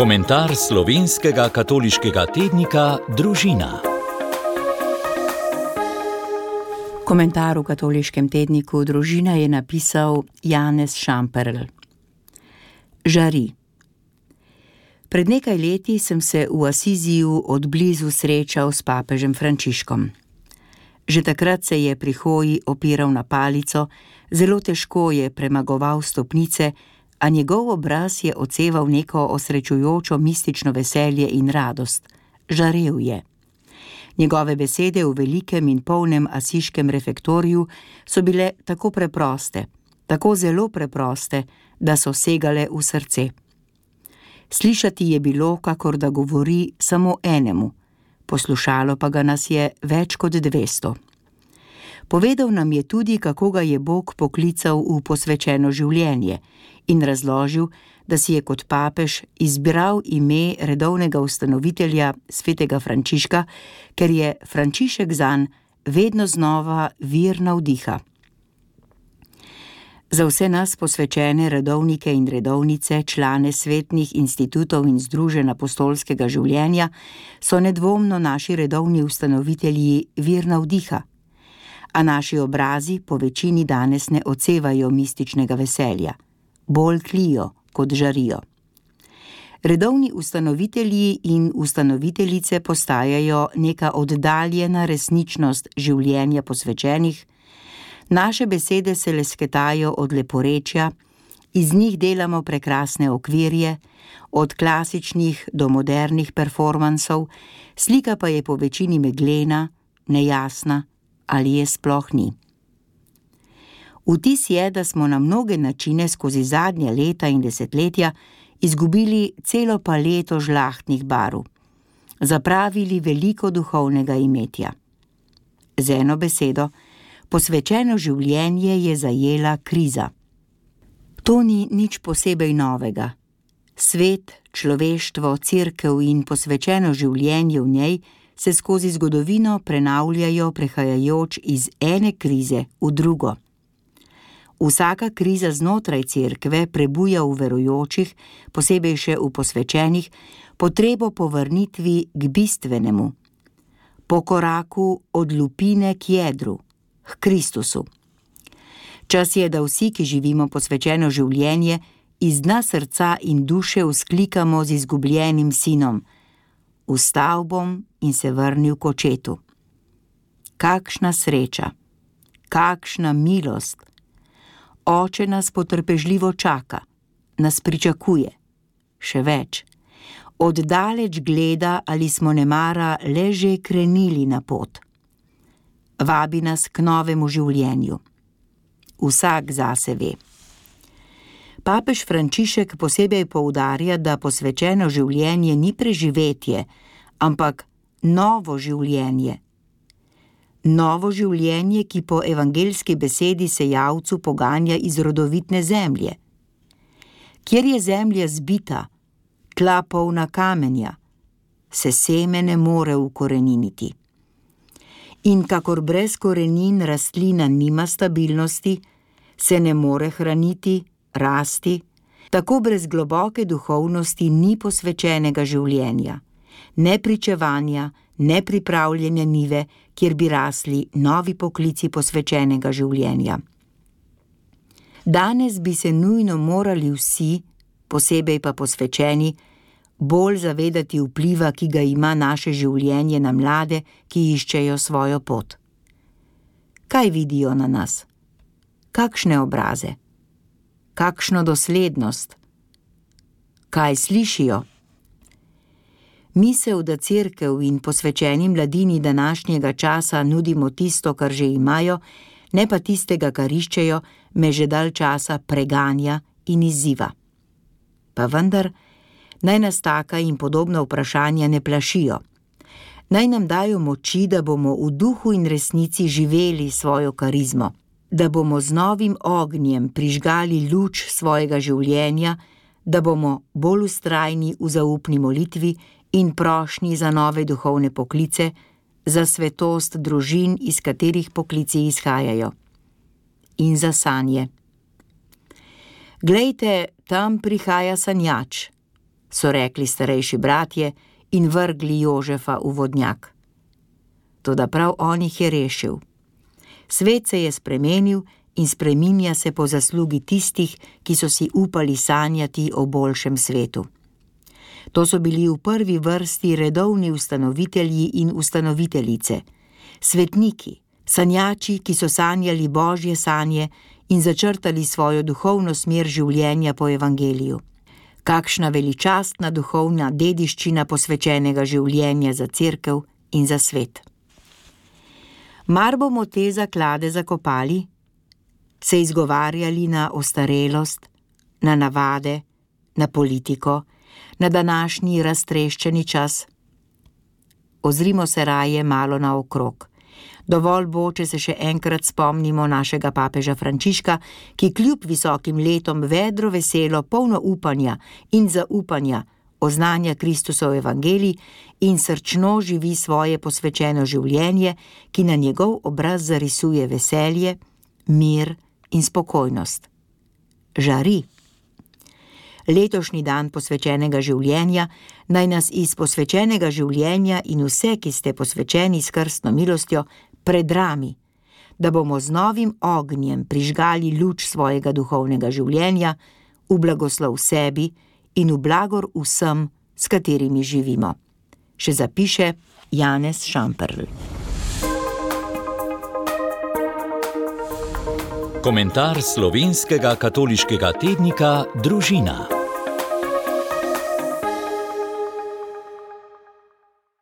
Komentar slovenskega katoliškega tednika Družina. Komentar v katoliškem tedniku Družina je napisal Janez Šamperl. Žari. Pred nekaj leti sem se v Asiziju od blizu srečal s papežem Frančiškom. Že takrat se je pri hoji opiral na palico, zelo težko je premagoval stopnice, a njegov obraz je odseval neko osrečujočo mistično veselje in radost. Žarel je. Njegove besede v velikem in polnem asiškem refektoriju so bile tako preproste, tako zelo preproste, da so segale v srce. Slišati je bilo, kakor da govori samo enemu, poslušalo pa ga nas je več kot 200. Povedal nam je tudi, kako ga je Bog poklical v posvečeno življenje in razložil, da si je kot papež izbral ime redovnega ustanovitelja svetega Frančiška, ker je Frančišek zanj vedno znova vir navdiha. Za vse nas posvečene redovnike in redovnice, člane svetnih institutov in združenj apostolskega življenja, so nedvomno naši redovni ustanovitelji vir navdiha, a naši obrazi po večini danes ne odsevajo mističnega veselja, bolj tlijo kot žarijo. Redovni ustanovitelji in ustanoviteljice postajajo neka oddaljena resničnost življenja posvečenih, naše besede se lesketajo od leporečja, iz njih delamo prekrasne okvirje, od klasičnih do modernih performansov, slika pa je po večini meglena, nejasna ali je sploh ni. Vtis je, da smo na mnoge načine skozi zadnja leta in desetletja izgubili celo paleto žlahtnih barv, zapravili veliko duhovnega imetja. Z eno besedo, posvečeno življenje je zajela kriza. To ni nič posebej novega. Svet, človeštvo, cerkev in posvečeno življenje v njej se skozi zgodovino prenavljajo prehajajoč iz ene krize v drugo. Vsaka kriza znotraj cerkve prebuja v verujočih, posebej še v posvečenih, potrebo po vrnitvi k bistvenemu, po koraku od lupine k jedru, k Kristusu. Čas je, da vsi, ki živimo posvečeno življenje, iz dna srca in duše vzklikamo z izgubljenim sinom: Vstal bom in se vrnil k očetu. Kakšna sreča, kakšna milost! Oče nas potrpežljivo čaka, nas pričakuje. Še več, oddaleč gleda, ali smo nemara le že krenili na pot. Vabi nas k novemu življenju. Vsak zase ve. Papež Frančišek posebej poudarja, da posvečeno življenje ni preživetje, ampak novo življenje. Novo življenje, ki po evangeljski besedi sejavcu poganja iz rodovitne zemlje. Kjer je zemlja zbita, tla polna kamenja, se seme ne more ukoreniniti. In kakor brez korenin rastlina nima stabilnosti, se ne more hraniti, rasti, tako brez globoke duhovnosti ni posvečenega življenja, ne pričevanja, ne pripravljene njive, kjer bi rasli novi poklici posvečenega življenja. Danes bi se nujno morali vsi, posebej pa posvečeni, bolj zavedati vpliva, ki ga ima naše življenje na mlade, ki iščejo svojo pot. Kaj vidijo na nas? Kakšne obraze? Kakšno doslednost? Kaj slišijo? Misel, da cerkev in posvečeni mladini današnjega časa nudimo tisto, kar že imajo, ne pa tistega, kar iščejo, me že dalj časa preganja in izziva. Pa vendar, naj nas taka in podobna vprašanja ne plašijo. Naj nam dajo moči, da bomo v duhu in resnici živeli svojo karizmo, da bomo z novim ognjem prižgali luč svojega življenja, da bomo bolj vztrajni v zaupni molitvi in prošnji za nove duhovne poklice, za svetost družin, iz katerih poklici izhajajo. In za sanje. Glejte, tam prihaja sanjač. so rekli starejši bratje in vrgli Jožefa v vodnjak. Toda prav on jih je rešil. Svet se je spremenil in spreminja se po zaslugi tistih, ki so si upali sanjati o boljšem svetu. To so bili v prvi vrsti redovni ustanovitelji in ustanoviteljice, svetniki, sanjači, ki so sanjali Božje sanje in začrtali svojo duhovno smer življenja po evangeliju. Kakšna veličastna duhovna dediščina posvečenega življenja za cerkev in za svet. Mar bomo te zaklade zakopali, se izgovarjali na ostarelost, na navade, na politiko, na današnji raztreščeni čas? Ozrimo se raje malo naokrog. Dovolj bo, če se še enkrat spomnimo našega papeža Frančiška, ki kljub visokim letom vedro veselo, polno upanja in zaupanja oznanja Kristusov evangelij in srčno živi svoje posvečeno življenje, ki na njegov obraz zarisuje veselje, mir in spokojnost. Žari. Letošnji dan posvečenega življenja naj nas iz posvečenega življenja in vse, ki ste posvečeni s krstno milostjo, predrami, da bomo z novim ognjem prižgali luč svojega duhovnega življenja v blagoslov sebi in v blagor vsem, s katerimi živimo. Še zapiše Janez Šamperl. Komentar slovenskega katoliškega tednika Družina.